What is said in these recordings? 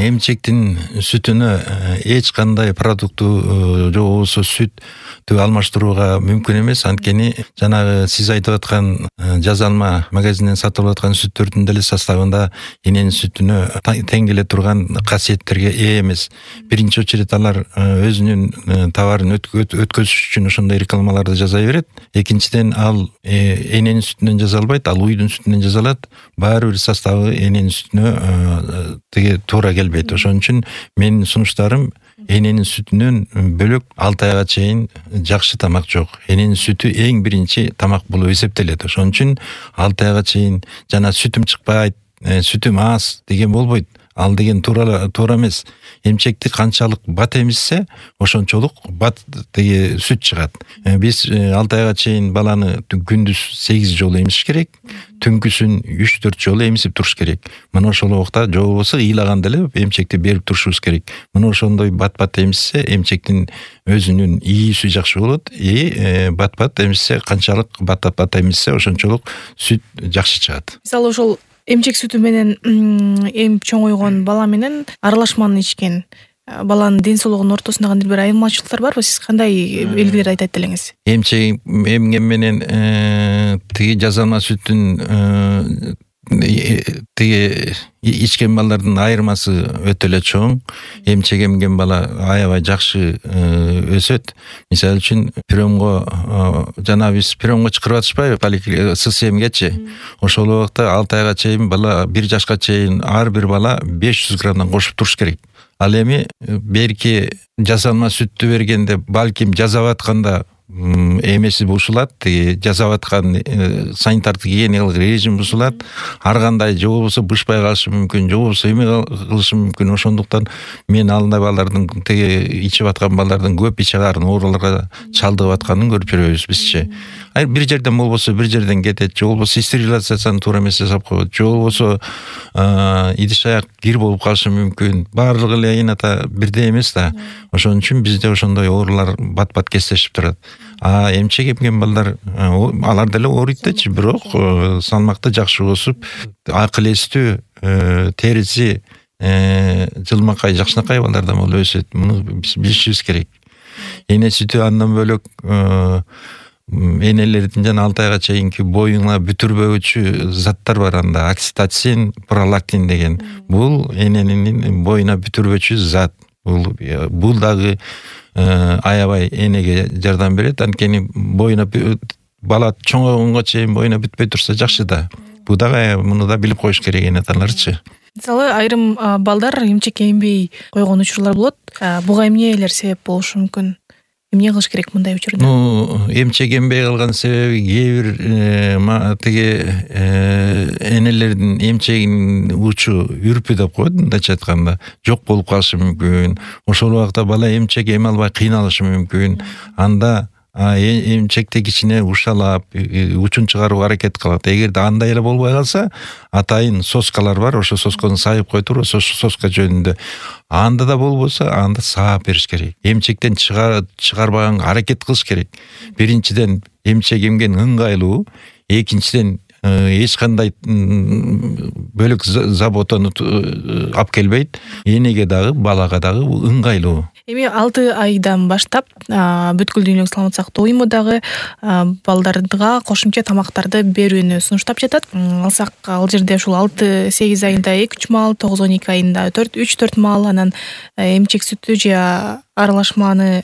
Эмчектин сүтүнө эч кандай продукту же болбосо сүттү алмаштырууга мүмкүн эмес. Анткени жанагы сиз айтып аткан жазалма магазинден сатылып аткан сүттөрдүн деле составында эненин сүтүнө тең келе турган касиеттерге ээ эмес. Биринчи очередь алар өзүнүн товарын өткөзүш үчүн ошондой рекламаларды жасай берет. Экинчиден ал эненин сүтүнөн жасалбайт, ал уйдун сүтүнөн жасалат. Баары бир составы эненин сүтүнө тиги туура келбейт. Ошон үчүн менин сунуштарым эненин сүтүнөн бөлөк 6 айга чейин жакшы тамак жок. Эненин сүтү эң биринчи тамак болуп эсептелет. Ошон үчүн 6 айга чейин жана сүтүм чыкпайт, сүтүм аз деген болбойт. Ал деген туура эмес. Эмчекти канчалык бат эмизсе, ошончолук бат тиги сүт чыгат. Биз 6 айга чейин баланы күндүз 8 жолу эмизиш керек, түнкүсүн 3-4 жолу эмизип туруш керек. Мына ошол убакта же болбосо ыйлаганда эле эмчекти берип турушубуз керек. Мына ошондой бат эмизсе, эмчектин өзүнүн ийүүсү жакшы болот. Бат эмизсе, канчалык бат эмизсе, ошончолук сүт жакшы чыгат. Мисалы ошол эмчек сүтү менен эми чоңойгон бала менен аралашманы ичкен баланын ден соолугунун ортосунда кандайдыр бир айырмачылыктар барбы? Сиз кандай белгилер айтат элеңиз? Эмчек эмген менен тиги жазалма сүттүн тиги ичкен балдардын айырмасы өтө эле чоң. Эмчек эмген бала аябай жакшы өсөт. Мисалы үчүн приемго жана биз приемго чакырып атышпайбы, ССМгечи. Ошол убакта 6 айга чейин бала, 1 жашка чейин ар бир бала 500 граммдан кошуп туруш керек. Ал эми берки жасалма сүттү бергенде балким жасап атканда эмеси бушулат, жасап аткан санитардык гигиеникалык режим бушулат. Ар кандай же болбосо бышпай калышы мүмкүн, же болбосо эме кылышы мүмкүн. Ошондуктан мен андай балдардын тиги ичип аткан балдардын көп иче карын ооруларга чалдыгып атканын көрүп жүрөбүз бизчи. Бир жерден болбосо бир жерден кетет, же болбосо стерилизацияны туура эмес жасап коет, же болбосо идиш аяк кир болуп калышы мүмкүн. Баардыгы эле эната бирдей эмес да. Ошон үчүн бизде ошондой оорулар бат кездешип турат. Эмчек эмген балдар алар деле ооруйт дечи, бирок салмакты жакшы өсүп, акыл эстүү, териси жылмакай, жакшынакай балдардан болуп өсөт. Муну биз билишибиз керек. Эне сүтү андан бөлөк энелердин жана 6 айга чейинки боюңа бүтүрбөгүчү заттар бар анда. Окситоцин, пролактин деген. Бул эненин боюна бүтүрбөчү зат. Бул дагы аябай энеге жардам берет. Анткени боюна бала чоңойгонго чейин боюна бүтпөй турса жакшы да. Бул дагы муну да билип коюш керек энелерчи. Мисалы айрым балдар эмчек эмбей койгон учурлар болот. Буга эмнелер себеп болушу мүмкүн? Эмне кылыш керек мындай учурда? Эмчек эмбей калган себеби кээ бир тиги энелердин эмчегинин учу үрпү деп коет, мындайча айтканда, жок болуп калышы мүмкүн. Ошол убакта бала эмчек эме албай кыйналышы мүмкүн. Анда эмчекти кичине ушалап, учун чыгарууга аракет кылат. Эгерде андай эле болбой калса, атайын соскалар бар, ошо сосканы сайып кое туруп, соска жөнүндө. Анда да болбосо, анда саап бериш керек. Эмчектен чыгарбаганга аракет кылыш керек. Биринчиден эмчек эмген ыңгайлуу, экинчиден эч кандай бөлөк заботаны алып келбейт. Энеге дагы, балага дагы ыңгайлуу. Эми 6 айдан баштап бүткүл дүйнөлүк саламаттык сактоо уюму дагы балдарга кошумча тамактарды берүүнү сунуштап жатат. Алсак, ал жерде ушул 6-8 айында 2-3 маал, 9-12 айында 3-4 маал, анан эмчек сүтү же аралашманы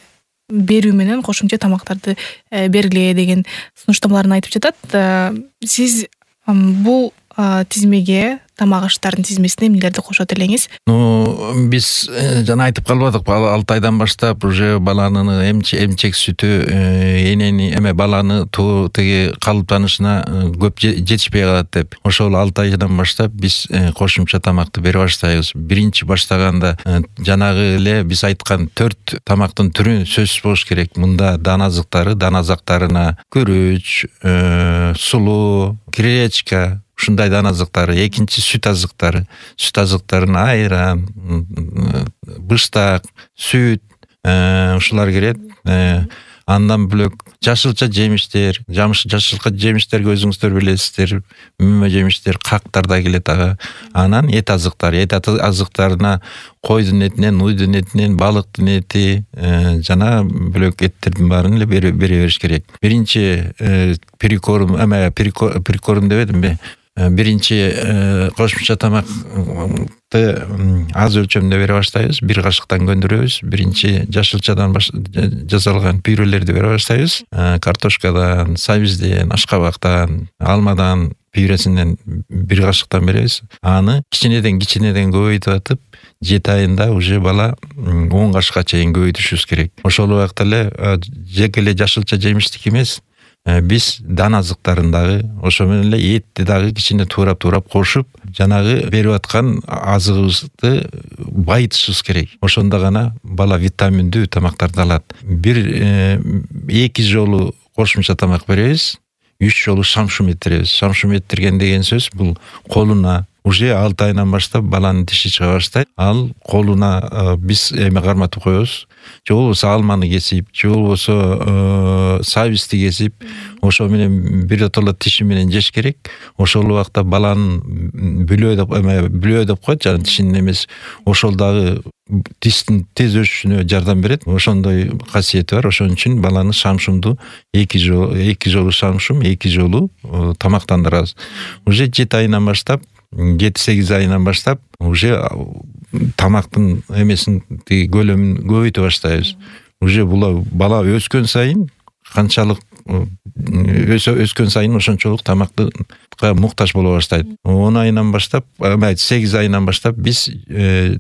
берүү менен кошумча тамактарды бергиле деген сунуштамаларын айтып жатат. Сиз бул тизмеге, тамак аштардын тизмесине эмнелерди кошот элеңиз? Биз жана айтып калбадыкпы, 6 айдан баштап уже баланын эмчек сүтү энени баланы тиги калыптанышына көп жетишпей калат деп. Ошол 6 айдан баштап биз кошумча тамакты бере баштайбыз. Биринчи баштаганда жанагы эле биз айткан 4 тамактын түрү сөзсүз болуш керек. Мында дан азыктары, дан азыктарына күрүч, сулуу, гречка, ушундай дан азыктары. Экинчи сүт азыктары. Сүт азыктарына айран, быштак, сүт, ушулар кирет. Андан бөлөк жашылча жемиштер, жашылча жемиштерге өзүңүздөр билесиздер, мөмө жемиштер, кактар да келет ага. Анан эт азыктарына койдун этинен, уйдун этинен, балыктын эти жана бөлөк эттердин баарын эле бере бериш керек. Биринчи прикорм дебедимби? Биринчи кошумча тамакты аз өлчөмдө бере баштайбыз. 1 кашыктан көндүрөбүз. Биринчи жашылчадан жасалган пюрелерди бере баштайбыз. Картошкадан, сабизден, ашкабактан, алмадан пюресинен 1 кашыктан беребиз. Аны кичинеден көбөйтүп атып, 7 айында уже бала 10 кашыкка чейин көбөйтүшүбүз керек. Ошол убакта эле жеке эле жашылча жемиштик эмес, биз дан азыктарын дагы, ошо менен эле этти дагы кичине туурап кошуп, жанагы берип аткан азыгыбызды байытышыбыз керек. Ошондо гана бала витаминдүү тамактарды алат. 2 жолу кошумча тамак беребиз, 3 жолу шамшум эттиребиз. Шамшум эттирген деген сөз бул колуна уже 6 айынан баштап баланын тиши чыга баштайт. Ал колуна биз эме карматып коебуз. Же болбосо алманы кесип, же болбосо сабизди кесип, ошо менен биротоло тиши менен жеш керек. Ошол убакта баланын бүлөө деп коет, жана тишинин эмес. Ошол дагы тиштин тез өсүшүнө жардам берет. Ошондой касиети бар. Ошон үчүн баланы шамшумду 2 жолу шамшум, 2 жолу тамактандырабыз. Уже 7 айынан баштап, 7-8 айынан баштап уже тамактын эмесин көлөмүн көбөйтө баштайбыз. Уже бала өскөн сайын канчалык өскөн сайын ошончолук тамакка муктаж боло баштайт. 10 айынан баштап, 8 айынан баштап биз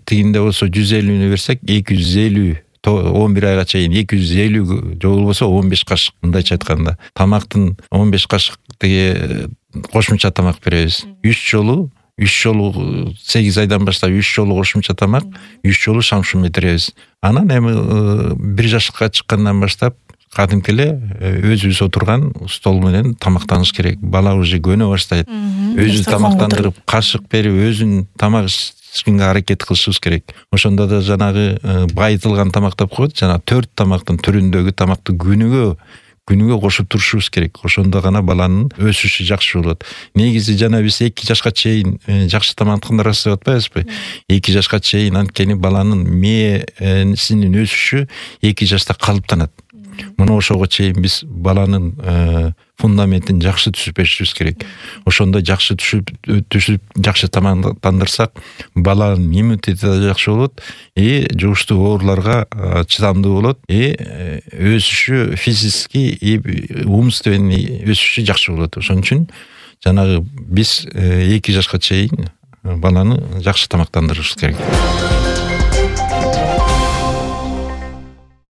тигинде болсо 150 берсек, 250 11 айга чейин 250 же болбосо 15 кашык, мындайча айтканда. Тамактын 15 кашык кошумча тамак беребиз. 3 жолу 8 айдан баштап 3 жолу кошумча тамак, 3 жолу шамшум эттиребиз. Анан эми 1 жашка чыккандан баштап кадимки эле өзүбүз отурган стол менен тамактаныш керек. Бала уже көнө баштайт. Өзү тамактандырып, кашык берип, өзүн тамак ичкенге аракет кылышыбыз керек. Ошондо да жанагы байытылган тамак деп коет, жана 4 тамактын түрүндөгү тамакты күнүгө кошуп турушубуз керек. Ошондо гана баланын өсүшү жакшы болот. Негизи жана биз 2 жашка чейин жакшы тамактандырабыз деп атпайбызбы? 2 жашка чейин анткени баланын мээсинин өсүшү 2 жашта калыптанат. Мына ошого чейин биз баланын фундаментин жакшы түзүп беришибиз керек. Ошондо жакшы түшүп жакшы тамактандырсак, баланын иммунитети да жакшы болот, жугуштуу ооруларга чыдамдуу болот, өсүшү физически, умственный өсүшү жакшы болот. Ошон үчүн жанагы биз 2 жашка чейин баланы жакшы тамактандырышыбыз керек.